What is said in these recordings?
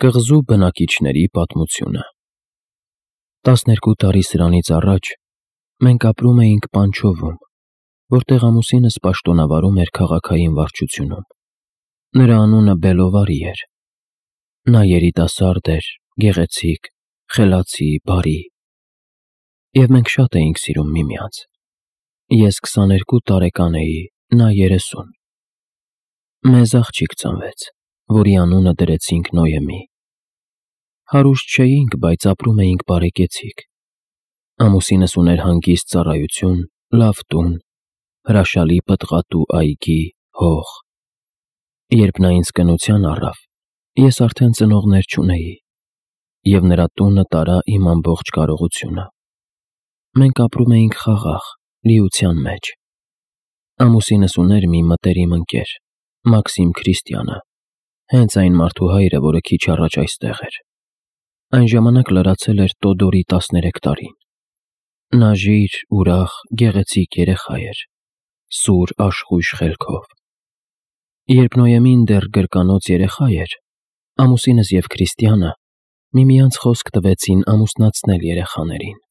Կղզու բնակիչների պատմությունը։ 12 տարի սրանից առաջ մենք ապրում էինք Պանչովում, որտեղ ամուսինս պաշտոնավարում էր քաղաքային վարչությունում։ Նրա անունը Բելովարի էր։ Նա երիտասարդ էր, գեղեցիկ, խելացի, բարի։ Եվ մենք շատ էինք սիրում միմյանց։ Ես 22 տարեկան էի, նա 30։ Մեզ աղջիկ ծնվեց, որի անունը դրեցինք Նոյեմի։ Հարուստ չէինք, բայց ապրում էինք բարեկեցիկ։ Ամուսինս ուներ հանգիստ ծառայություն, լավ տուն, հրաշալի պտղատու այգի, հող։ Երբ նա ինձ կնության առավ, ես արդեն ծնողներ չունեի, և նրա տունը տարա իմ ամբողջ կարողությունը։ Մենք ապրում էինք խաղաղ, լիության մեջ։ Ամուսինս ուներ մի մտերիմ ընկեր, Մաքսիմ Քրիստիանը, հենց այն մարդու հայրը, որը քիչ առաջ այստեղ էր։ Այն ժամանակ լրացել էր Տոդորի 13 տարին։ Նա ժիր, ուրախ, գեղեցիկ երեխա էր, սուր, աշխույժ խելքով։ Երբ Նոյեմին դեռ գրկանոց երեխա էր, ամուսինս և Քրիստիանը միմյանց խոսք տվեցին ամուսնացնել երեխաներին։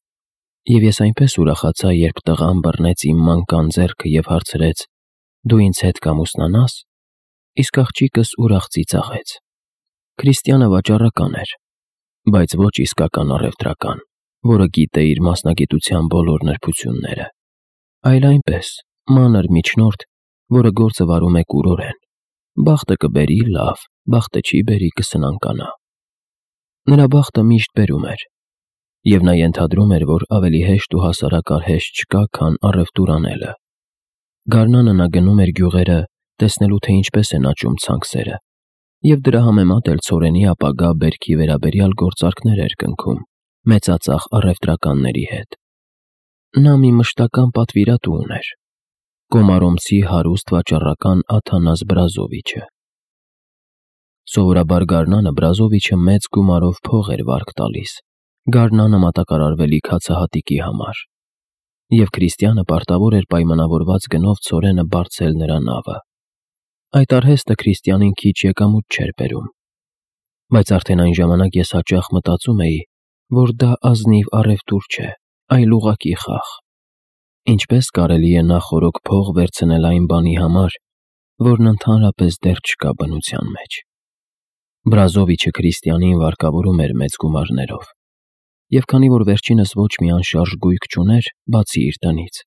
Եվ ես այնպես ուրախացա, երբ տղան բռնեց իմ մանկան ձեռքը և հարցրեց. «Դու ինձ հետ կամուսնանա՞ս»։ Իսկ աղջիկս ուրախ ծիծաղեց։ Քրիստիանը վաճառական էր, բայց ոչ իսկական առևտրական, որը գիտե իր մասնագիտության բոլոր նրբությունները, այլ այնպես, մանր միջնորդ, որը գործը վարում է կուրորեն։ Բախտը կբերի՝ լավ, բախտը չի բերի՝ կսնանկանա։ Նրա բախտը միշտ բերում էր, և նա ենթադրում էր, որ ավելի հեշտ ու հասարակարհեշտ չկա, քան առևտուր անելը։ Գարնանը նա գնում էր գյուղերը, տեսնելու, թե ինչպես են աճում ցանքսերը, և դրա համեմատ էլ ցորենի ապագա բերքի վերաբերյալ գործարքներ էր կնքում մեծածախ առևտրականների հետ։ Նա մի մշտական պատվիրատու ուներ՝ կոմարոմցի հարուստ վաճառական Աթանաս Բրազովիչը։ Սովորաբար գարնանը Բրազովիչը մեծ գումարով փող էր վարկ տալիս գարնանը մատակարարվելիք հացահատիկի համար, և Քրիստիանը պարտավոր էր պայմանավորված գնով ցորենը բարձել նրա նավը։ Այդ արհեստը Քրիստիանին քիչ եկամուտ չէր բերում, բայց արդեն այն ժամանակ ես հաճախ մտածում էի, որ դա ազնիվ առևտուր չէ, այլ ուղղակի խաղ։ Ինչպես կարելի է նախօրոք փող վերցնել այն բանի համար, որն ընդհանրապես դեռ չկա բնության մեջ։ Բրազովիչը Քրիստիանին վարկավորում էր մեծ գումարներով, և քանի որ վերջինս ոչ մի անշարժ գույք չուներ, բացի իր տնից,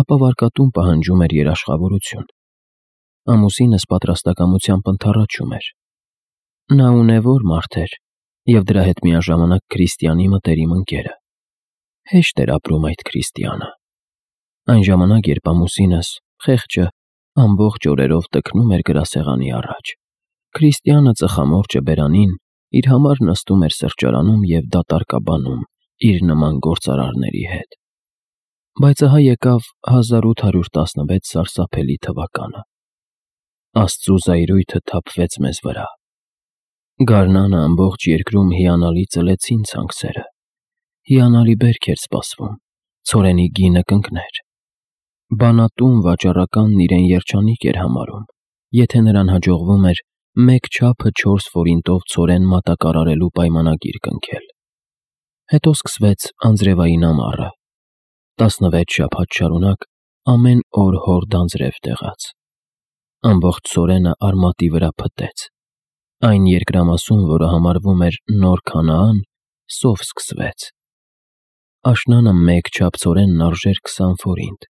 ապա վարկատուն պահանջում էր երաշխավորություն։ Ամուսինս պատրաստակամությամբ ընդառաջում էր։ Նա ունևոր մարդ էր, և դրա հետ միաժամանակ Քրիստիանի մտերիմ ընկերը։ Հեշտ էր ապրում այդ Քրիստիանը։ Այն ժամանակ, երբ ամուսինս, խեղճը, ամբողջ օրերով տքնում էր գրասեղանի առաջ, Քրիստիանը ծխամորճը բերանին իր համար նստում էր սրճարանում և դատարկաբանում իր նման գործարարների հետ։ Բայց ահա եկավ 1816 սարսափելի թվականը։ Աստծու զայրույթը թափվեց մեզ վրա։ Գարնանը ամբողջ երկրում հիանալի ծլեցին ցանքսերը։ Հիանալի բերք էր սպասվում, ցորենի գինը կընկներ։ Բանատուն վաճառականն իրեն երջանիկ էր համարում, եթե նրան հաջողվում էր մեկ չափը 4 ֆորինտով ցորեն մատակարարելու պայմանագիր կնքել։ Հետո սկսվեց անձրևային ամառը։ 16 շաբաթ շարունակ ամեն օր հորդ անձրև տեղաց։ Ամբողջ ցորենը արմատի վրա փտեց։ Այն երկրամասում, որը համարվում էր Նոր Քանաան, սով սկսվեց։ Աշնանը մեկ չափ ցորենն արժեր 20 ֆորինտ,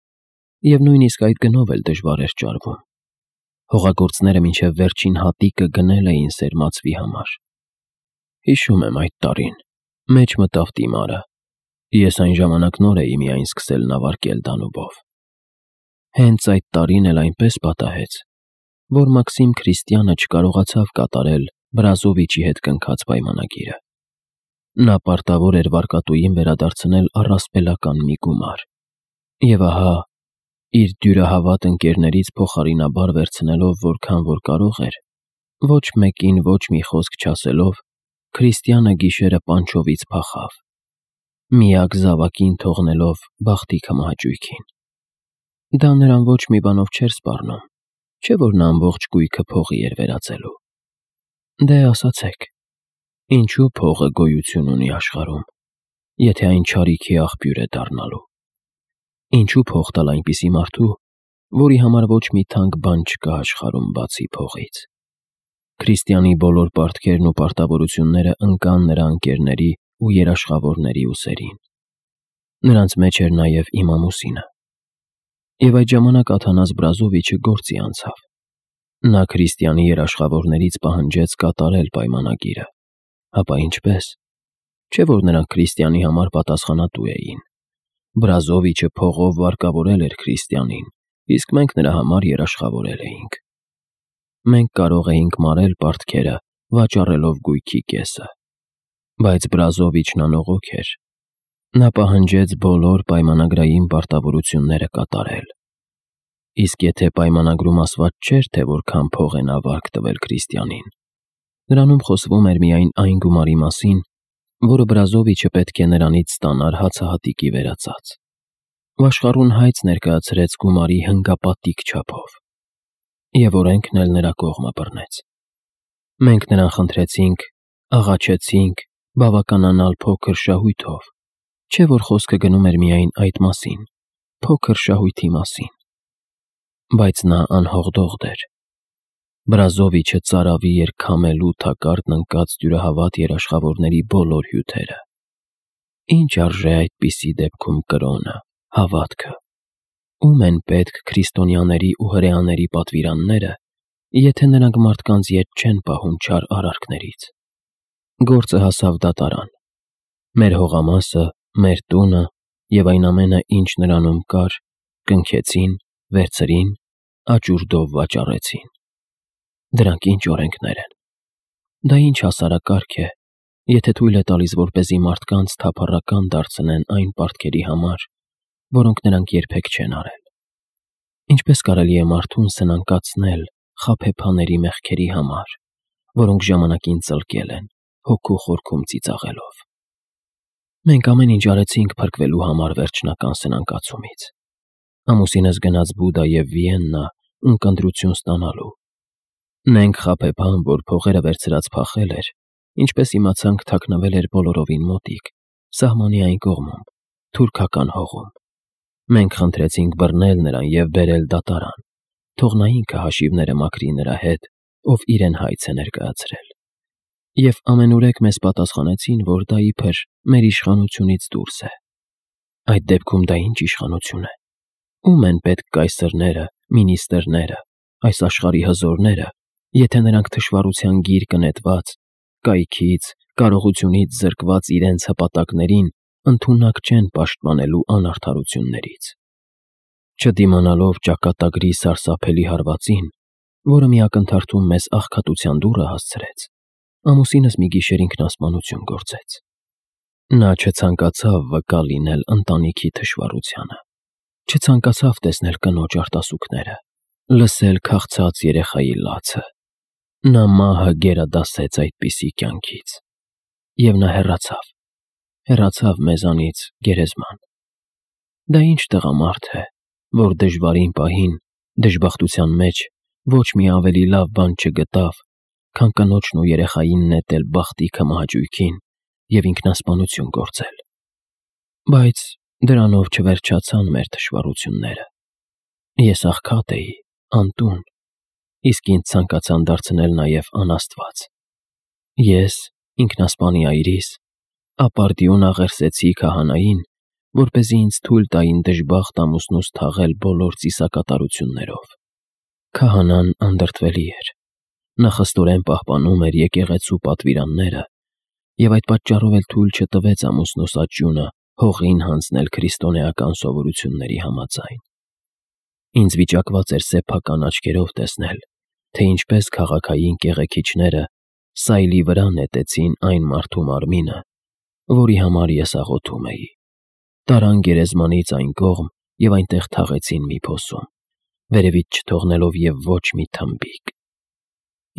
և նույնիսկ այդ գնով էլ դժվար էր ճարվում։ Հողագործները մինչև վերջին հատիկը գնել էին սերմացվի համար։ Հիշում եմ այդ տարին, մեջ մտավ տիմարը։ Ես այն ժամանակ նոր էի միայն սկսել նավարկել Դանուբով։ Հենց այդ տարին էլ այնպես պատահեց, որ Մաքսիմ Քրիստիանը չկարողացավ կատարել Բրազովիչի հետ կնքած պայմանագիրը։ Նա պարտավոր էր վարկատուին վերադարձնել առասպելական մի գումար։ Եվ ահա, իր դյուրահավատ ընկերներից փոխարինաբար վերցնելով որքան որ կարող էր, ոչ մեկին ոչ մի խոսք չասելով, Քրիստիանը գիշերը Պանչովից փախավ, միակ զավակին թողնելով բախտի քմահաճույքին։ Դա նրան ոչ մի բանով չէր սպառնում, չէ՞ որ նա ամբողջ գույքը փողի էր վերածելու։ Դե, ասացեք, Ինչու փողը գոյություն ունի աշխարհում, եթե այն չարիքի աղբյուր է դառնալու։ Ինչու փող տալ այնպիսի մարդու, որի համար ոչ մի թանկ բան չկա աշխարհում բացի փողից։ Քրիստիանի բոլոր պարտքերն ու պարտավորությունները ընկան նրա ընկերների ու երաշխավորների ուսերին։ Նրանց մեջ էր նաև իմ ամուսինը։ Եվ այդ ժամանակ Աթանաս Բրազովիչը գործի անցավ։ Նա քրիստիանի երաշխավորներից պահանջեց կատարել պայմանագիրը։ Հապա ինչպես։ Չէ՞ որ նրանք քրիստիանի համար պատասխանատու էին։ Բրազովիչը փողով վարկավորել էր քրիստիանին, իսկ մենք նրա համար երաշխավորել էինք։ Մենք կարող էինք մարել պարտքերը, վաճառելով գույքի կեսը։ Բայց Բրազովիչն անողոք էր։ Նա պահանջեց բոլոր պայմանագրային պարտավորությունները կատարել։ Իսկ եթե պայմանագրում ասված չէր, թե որքան փող է նա վարկ տվել քրիստիանին, նրանում խոսվում էր միայն այն գումարի մասին, որը Բրազովիչը պետք է նրանից ստանար հացահատիկի վերածած։ Վաշխառուն հայց ներկայացրեց գումարի հնգապատիկ չափով։ Եվ օրենքն էլ նրա կողմը բռնեց։ Մենք նրան խնդրեցինք, աղաչեցինք բավականանալ փոքր շահույթով, չէ՞ որ խոսքը գնում էր միայն այդ մասին, փոքր շահույթի մասին։ Բայց նա անհողդողդ էր։ Բրազովիչը ծարավի էր քամելու թակարդն ընկած դյուրահավատ երաշխավորների բոլոր հյութերը։ Ինչ արժե այդպիսի դեպքում կրոնը, հավատքը։ Ում են պետք քրիստոնյաների ու հրեաների պատվիրանները, եթե նրանք մարդկանց ետ չեն պահում չար արարքներից։ Գործը հասավ դատարան։ Մեր հողամասը, մեր տունը և այն ամենը, ինչ նրանում կար, կնքեցին, վերցրին, աճուրդով վաճառեցին։ Դրանք ինչ օրենքներ են։ Դա ինչ հասարակարգ է, եթե թույլ է տալիս, որպեսզի մարդկանց թափառական դարձնեն այն պարտքերի համար, որոնք նրանք երբեք չեն արել։ Ինչպես կարելի է մարդուն սնանկացնել խաբեբաների մեղքերի համար, որոնք ժամանակին ծլկել են, հոգու խորքում ծիծաղելով։ Մենք ամեն ինչ արեցինք փրկվելու համար վերջնական սնանկացումից։ Ամուսինս գնաց Բուդա և Վիեննա ունկնդրություն ստանալու։ Նենք խաբեբան, որ փողերը վերցրած փախել էր, ինչպես իմացանք, թաքնվել էր բոլորովին մոտիկ, սահմանի այն կողմում, թուրքական հողում։ Մենք խնդրեցինք բռնել նրան և բերել դատարան, թող նա ինքը հաշիվները մաքրի նրա հետ, ով իրեն հայց է ներկայացրել։ Եվ ամենուրեք մեզ պատասխանեցին, որ դա իբր մեր իշխանությունից դուրս է։ Այդ դեպքում դա ինչ իշխանություն է։ Ում են պետք կայսրները, մինիստրները, այս աշխարհի հզորները, եթե նրանք թշվառության գիրկը նետված, կայքից, կարողությունից զրկված իրենց հպատակներին ընդունակ չեն պաշտպանելու անարդարություններից։ Չդիմանալով ճակատագրի սարսափելի հարվածին, որը մի ակնթարթում մեզ աղքատության դուռը հասցրեց, ամուսինս մի գիշեր ինքնասպանություն գործեց։ Նա չցանկացավ վկա լինել ընտանիքի թշվառությանը, չցանկացավ տեսնել կնոջ արտասուքները, լսել քաղցած երեխայի լացը։ Նա մահը գերադասեց այդպիսի կյանքից։ Եվ նա հեռացավ մեզանից գերեզման։ Դա ինչ տղամարդ է, որ դժվարին պահին, դժբախտության մեջ ոչ մի ավելի լավ բան չգտավ, քան կնոջն ու երեխային նետել բախտիքը մահաճույքին և ինքնասպանություն գործել։ Բայց դրանով չվերջացան մեր թշվառությունները։ Ես աղքատ էի, անտուն, իսկ ինձ ցանկացան դարձնել նաև անաստված։ Ես, ինքնասպանի այրիս, ապարդյուն աղերսեցի քահանային, որպեսզի ինձ թույլ տային դժբախտ ամուսնուս թաղել բոլոր ծիսակատարություններով։ Քահանան անդրդվելի էր։ Նա խստորեն պահպանում էր եկեղեցու պատվիրանները և այդ պատճառով էլ թույլ չտվեց ամուսնուս աճյունը հողին հանձնել քրիստոնեական սովորությունների համաձայն։ Ինձ վիճակված էր սեփական աչքերով տեսնել, թե ինչպես քաղաքային կեղեքիչները սայլի վրա նետեցին այն մարդու մարմինը, որի համար ես աղոթում էի, տարան գերեզմանից այն կողմ և այնտեղ թաղեցին մի փոսում, վերևից չթողնելով և ոչ մի թմբիկ։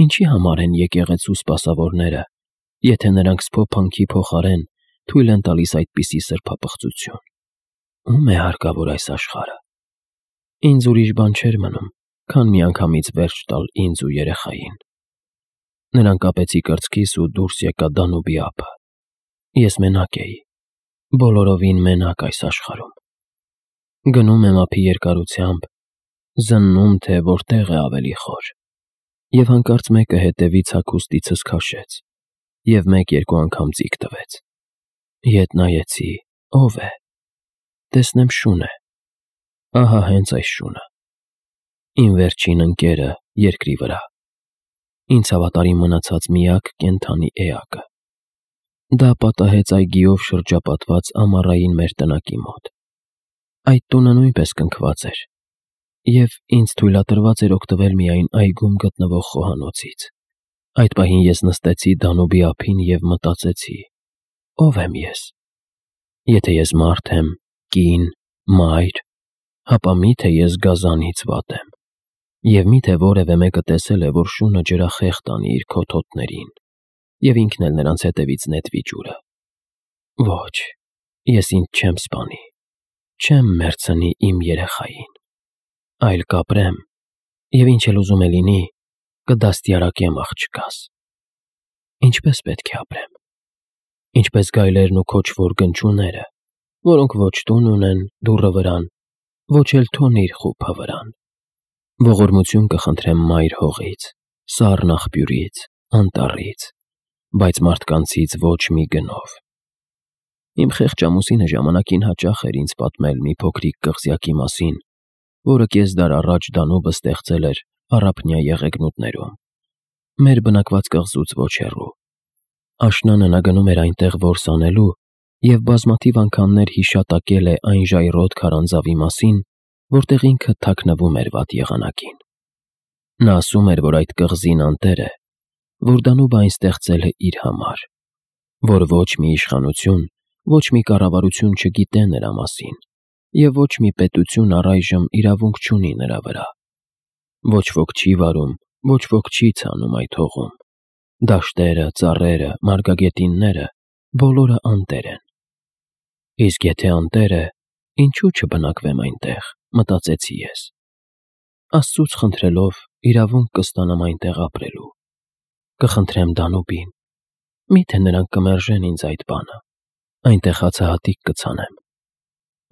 Ինչի համար են եկեղեցու սպասավորները, եթե նրանք սփոփանքի փոխարեն թույլ են տալիս այդպիսի սրբապղծություն։ Ո՞ւմ է հարկավոր այս աշխարհը։ Ինձ ուրիշ բան չէր մնում, քան միանգամից վերջ տալ ինձ ու երեխային։ Նրան կապեցի կրծքիս ու դուրս եկա Դանուբի ափը։ Ես մենակ էի, բոլորովին մենակ այս աշխարհում։ Գնում եմ ափի երկարությամբ, զննում, թե որտեղ է ավելի խոր։ Եվ հանկարծ մեկը հետևից հագուստիցս քաշեց, և մեկ-երկու անգամ ձիգ տվեց։ Ետ նայեցի, ով է։ Տեսնեմ շուն է։ Ահա հենց այս շունը։ Իմ վերջին ընկերը երկրի վրա։ Ինձ հավատարիմ մնացած միակ կենդանի էակը։ Դա պատահեց այգիով շրջապատված ամառային մեր տնակի մոտ։ Այդ տունը նույնպես կնքված էր, և ինձ թույլատրված էր օգտվել միայն այգում գտնվող խոհանոցից։ Այդ պահին ես նստեցի Դանուբի ափին և մտածեցի. ո՞վ եմ ես։ Եթե ես մարդ եմ, կին, մայր, ապա մի՞թե ես գազանից վատ եմ։ Եվ մի՞թե որևէ մեկը տեսել է, որ շունը ջրախեղտ անի իր քոթոթներին, և ինքն էլ նրանց հետևից նետվի ջուրը։ Ոչ, ես ինձ չեմ սպանի, չեմ մեռցնի իմ երեխային, այլ կապրեմ, և ինչ էլ ուզում է լինի, կդաստիարակեմ աղջկաս։ Ինչպե՞ս պետք է ապրեմ։ Ինչպես գայլերն ու քոչվոր գնչուները, որոնք ոչ տուն ունեն դուռը վրան, ոչ էլ թոնիր խուփը վրան։ Ողորմություն կխնդրեմ մայր հողից, սառն աղբյուրից, անտառից, բայց մարդկանցից ոչ մի գնով։ Իմ խեղճ ամուսինը ժամանակին հաճախ էր ինձ պատմել մի փոքրիկ կղզյակի մասին, որը կես դար առաջ Դանուբը ստեղծել էր Առափնյա եղեգնուտներում, մեր բնակված կղզուց ոչ հեռու։ Աշնանը նա գնում էր այնտեղ որս անելու և բազմաթիվ անգամներ հիշատակել է այն ժայռոտ քարանձավի մասին, որտեղ ինքը թաքնվում էր վատ եղանակին։ Նա ասում էր, որ այդ կղզին անտեր է, որ Դանուբը այն ստեղծել է իր համար, որ ոչ մի իշխանություն, ոչ մի կառավարություն չգիտե նրա մասին, և ոչ մի պետություն առայժմ իրավունք չունի նրա վրա։ Ոչ ոք չի վարում, ոչ ոք չի ցանում այդ հողում։ Դաշտերը, ծառերը, մարգագետինները բոլորը անտեր են։ Իսկ եթե անտեր է, ինչու չբնակվեմ այնտեղ, մտածեցի ես։ Աստծուց խնդրելով իրավունք կստանամ այնտեղ ապրելու։ Կխնդրեմ Դանուբին, միթե նրանք կմերժեն ինձ այդ բանը, այնտեղ հացահատիկ կցանեմ։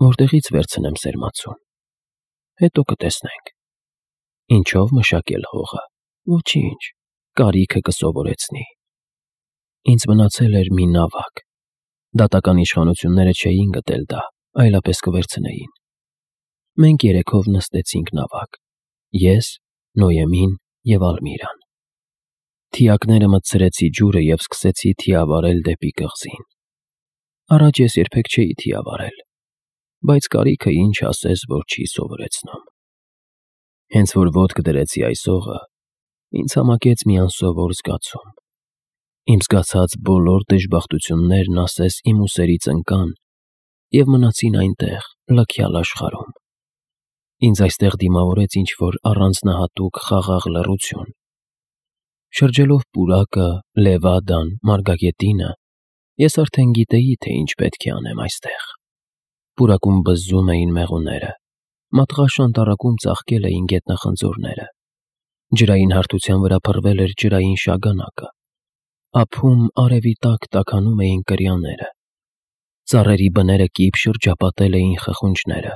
Որտեղից վերցնեմ սերմացուն։ Հետո կտեսնենք։ Ինչով մշակել հողը։ Ոչինչ, կարիքը կսովորեցնի։ Ինձ մնացել էր մի նավակ։ Դատական իշխանությունները չէին գտել դա, այլապես կվերցնեին։ Մենք երեքով նստեցինք նավակ։ Ես, Նոյեմին և Ալմիրան։ Թիակները մտցրեցի ջուրը և սկսեցի թիավարել դեպի կղզին։ Առաջ ես երբեք չէի թիավարել, բայց կարիքը ինչ ասես, որ չի սովորեցնում։ Հենց որ ոտք դրեցի այս հողը, ինձ համակեց մի անսովոր զգացում։ Իմ զգացած բոլոր դժբախտություններն ասես իմ ուսերից ընկան և մնացին այնտեղ, լքյալ աշխարհում։ Ինձ այստեղ դիմավորեց ինչ-որ առանձնահատուկ խաղաղ լռություն։ Շրջելով պուրակը, լևադան, մարգագետինը, ես արդեն գիտեի, թե ինչ պետք է անեմ այստեղ։ Պուրակում բզզում էին մեղուները, մատղաշ անտառակում ծաղկել էին գետնախնձորները, ջրային հարթության վրա փռվել էր ջրային շագանակը, ափում արևի տակ տաքանում էին կրյաները, ծառերի բները կիպ շրջապատել էին խխունջները,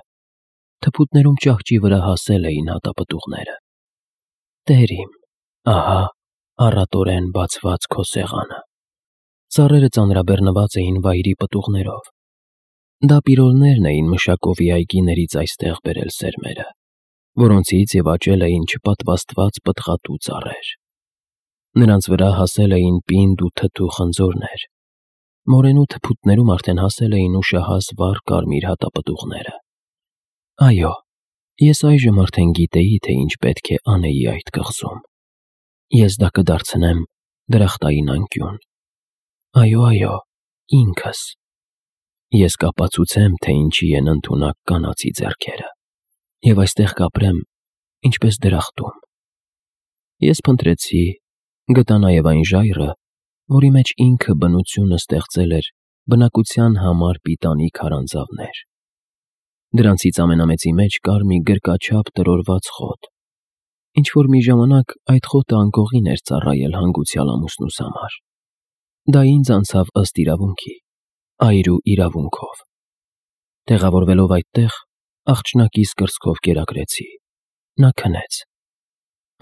թփուտներում ճահճի վրա հասել էին հատապտուղները։ Տեր իմ, ահա առատորեն բացված քո սեղանը։ Ծառերը ծանրաբեռնված էին վայրի պտուղներով։ Դա պիրոլներն էին Մշակովի այգիներից այստեղ բերել սերմերը, որոնցից և աճել էին չպատվաստված պտղատու ծառեր։ Նրանց վրա հասել էին պինդ ու թթու խնձորներ։ Մորենու թփուտներում արդեն հասել էին ուշահաս վառ կարմիր հատապտուղները։ Այո, ես այժմ արդեն գիտեի, թե ինչ պետք է անեի այդ կղզում։ Ես դա կդարձնեմ դրախտային անկյուն։ Այո, ինքս։ Ես կապացուցեմ, թե ինչի են ընդունակ կանացի ձեռքերը, և այստեղ կապրեմ, ինչպես դրախտում։ Ես փնտրեցի, գտա նաև այն ժայռը, որի մեջ ինքը բնությունը ստեղծել էր բնակության համար պիտանի քարանձավներ։ Դրանցից ամենամեծի մեջ կար մի գրկաչափ տրորված խոտ։ Ինչ-որ մի ժամանակ այդ խոտը անկողին էր ծառայել հանգուցյալ ամուսնուս համար։ Դա ինձ անցավ ըստ իրավունքի, այրու իրավունքով։ Տեղավորվելով այդտեղ, աղջնակիս կրծքով կերակրեցի։ Նա քնեց։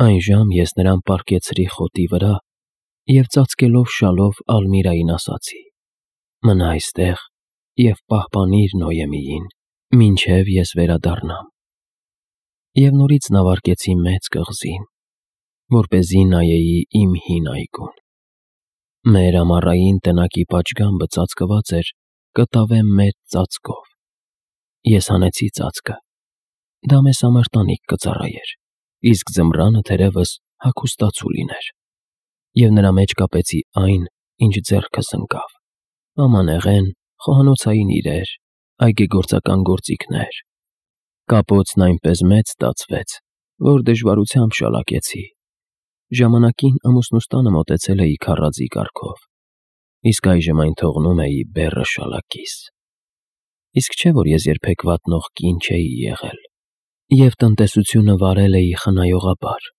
Այն ժամ ես նրան պառկեցրի խոտի վրա և ծածկելով շալով Ալմիրային ասացի. «Մնա այստեղ և պահպանիր Նոյեմիին, մինչև ես վերադառնամ»։ Եվ նորից նավարկեցի մեծ կղզին, որպեսզի նայեի իմ հին այգուն։ Մեր ամառային տնակի պատշգամբը ծածկված էր կտավե մեծ ծածկով։ Ես հանեցի ծածկը։ Դա մեզ համար տանիք կծառայեր, իսկ ձմռանը թերևս հագուստացու լիներ։ Եվ նրա մեջ կապեցի այն, ինչ ձեռքս ընկավ. ամանեղեն, խոհանոցային իրեր, այգեգործական գործիքներ։ Կապոցն այնպես մեծ ստացվեց, որ դժվարությամբ շալակեցի։ Ժամանակին ամուսնուս տանը մոտեցել էի քառածի կարգով, իսկ այժմ այն թողնում էի բեռը շալակիս։ Իսկ չէ՞ որ ես երբեք վատնող կին չէի եղել, և տնտեսությունը վարել էի խնայողաբար։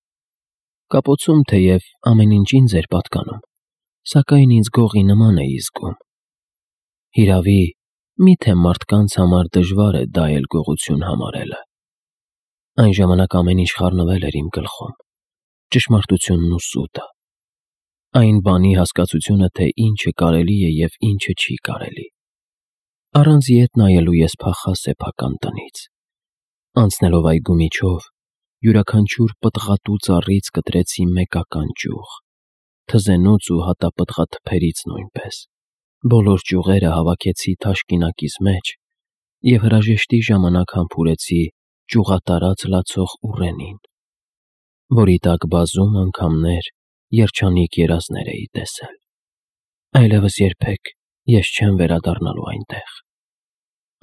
Կապոցում թեև ամեն ինչ ինձ էր պատկանում, սակայն ինձ գողի նման էի զգում։ Հիրավի, մի՞թե մարդկանց համար դժվար է դա էլ գողություն համարելը։ Այն ժամանակ ամեն ինչ խառնվել էր իմ գլխում, ճշմարտությունն ու սուտը, այն բանի հասկացությունը, թե ինչը կարելի է և ինչը չի կարելի։ Առանց ետ նայելու ես փախա սեփական տնից։ Անցնելով այգու միջով, յուրաքանչյուր պտղատու ծառից կտրեցի մեկական ճյուղ, թզենուց ու հատապտղաթփերից նույնպես։ Բոլոր ճյուղերը հավաքեցի թաշկինակիս մեջ և հրաժեշտի ժամանակ համբուրեցի ճյուղատարած լացող ուռենին, որի տակ բազում անգամներ երջանիկ երազներ էի տեսել։ Այլևս երբեք ես չեմ վերադառնալու այնտեղ։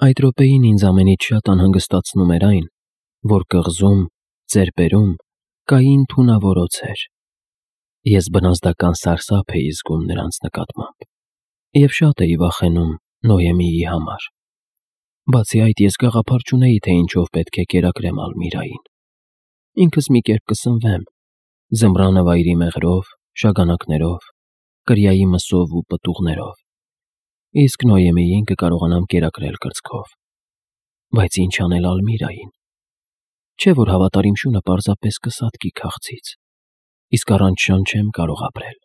Այդ րոպեին ինձ ամենից շատ անհանգստացնում էր այն, որ կղզում, ծեպերում կային թունավորոցեր։ Ես բնազդական սարսափ էի զգում նրանց նկատմամբ և շատ էի վախենում Նոյեմիի համար։ Բացի այդ, ես գաղափար չունեի, թե ինչով պետք է կերակրեմ Ալմիրային։ Ինքս մի կերպ կսնվեմ, ձմռանը վայրի մեղրով, շագանակներով, կրիայի մսով ու պտուղներով, իսկ Նոյեմիին կկարողանամ կերակրել կրծքով։ Բայց ինչ անել Ալմիրային։ Չէ՞ որ հավատարիմ շունը պարզապես կսատկի քաղցից, իսկ առանց շան չեմ կարող ապրել,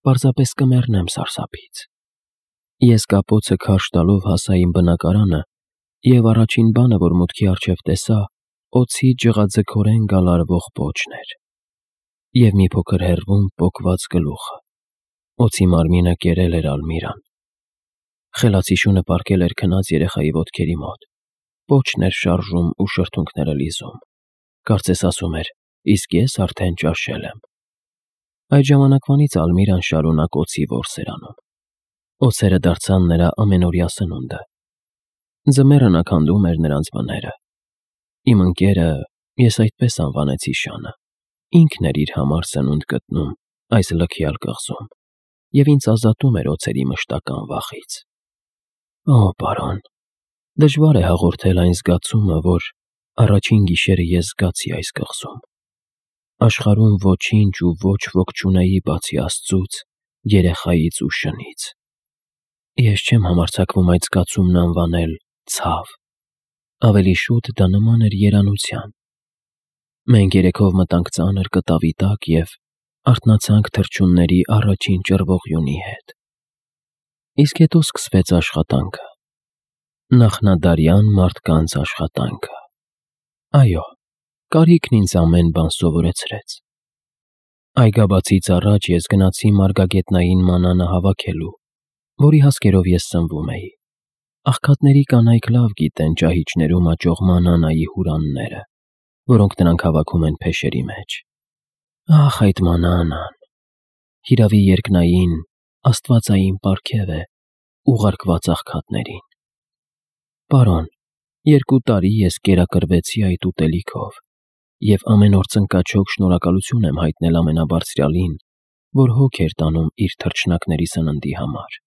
պարզապես կմեռնեմ սարսափից։ Ես կապոցը քարշ տալով հասա իմ բնակարանը և առաջին բանը, որ մուտքի առջև տեսա, օդի ջղաձգորեն գալարվող պոչն էր և մի փոքր հեռվում պոկված գլուխը։ Օձի մարմինը կերել էր Ալմիրան։ Խելացի շունը պառկել էր քնած երեխայի ոտքերի մոտ, պոչն էր շարժում ու շրթունքները լիզում։ Կարծես ասում էր. «Իսկ ես արդեն ճաշել եմ»։ Այդ ժամանակվանից Ալմիրան շարունակ օձի որս էր անում։ Օձերը դարձան նրա ամենօրյա սնունդը։ Ձմեռը նա քանդում էր նրանց բները։ Իմ ընկերը, ես այդպես անվանեցի շանը, ինքն էր իր համար սնունդ գտնում այս լքյալ կղզում և ինձ ազատում էր օձերի մշտական վախից։ Օ, պարոն, դժվար է հաղորդել այն զգացումը, որ առաջին գիշերը ես զգացի այս կղզում։ Աշխարհում ոչինչ ու ոչ ոք չունեի բացի Աստծուց, երեխայից ու շնից։ Ես չեմ համարձակվում այդ զգացումն անվանել ցավ, ավելի շուտ դա նման էր երանության։ Մենք երեքով մտանք ծանր կտավի տակ և արթնացանք թռչունների առաջին ճռվողյունի հետ։ Իսկ հետո սկսվեց աշխատանքը։ Նախնադարյան մարդկանց աշխատանքը։ Այո, կարիքն ինձ ամեն բան սովորեցրեց։ Այգաբացից առաջ ես գնացի մարգագետնային մանանը հավաքելու, որի հասկերով ես սնվում էի։ Աղքատների կանայք լավ գիտեն ճահիճներում աճող մանանայի հուրանները, որոնք նրանք հավաքում են փեշերի մեջ։ Ահ, այդ մանանան… Հիրավի երկնային, աստվածային պարգև է ուղարկված աղքատներին։ Պարոն, 2 տարի ես կերակրվեցի այդ ուտելիքով և ամեն օր ծնկաչոք շնորհակալություն եմ հայտնել Ամենաբարձրյալին, որ հոգ էր տանում իր թռչնակների սննդի համար։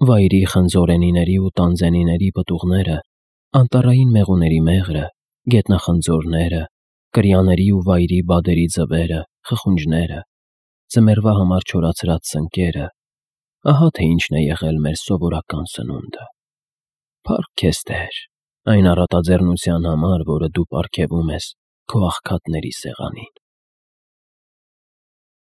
Վայրի խնձորենիների ու տանձենիների պտուղները, անտառային մեղուների մեղրը, գետնախնձորները, կրյաների ու վայրի բադերի ձվերը, խխունջները, ձմեռվա համար չորացրած սնկերը, ահա թե ինչն է եղել մեր սովորական սնունդը։ Փառք քեզ, Տեր, այն առատաձեռնության համար, որը դու պարգևում ես քո աղքատների սեղանին։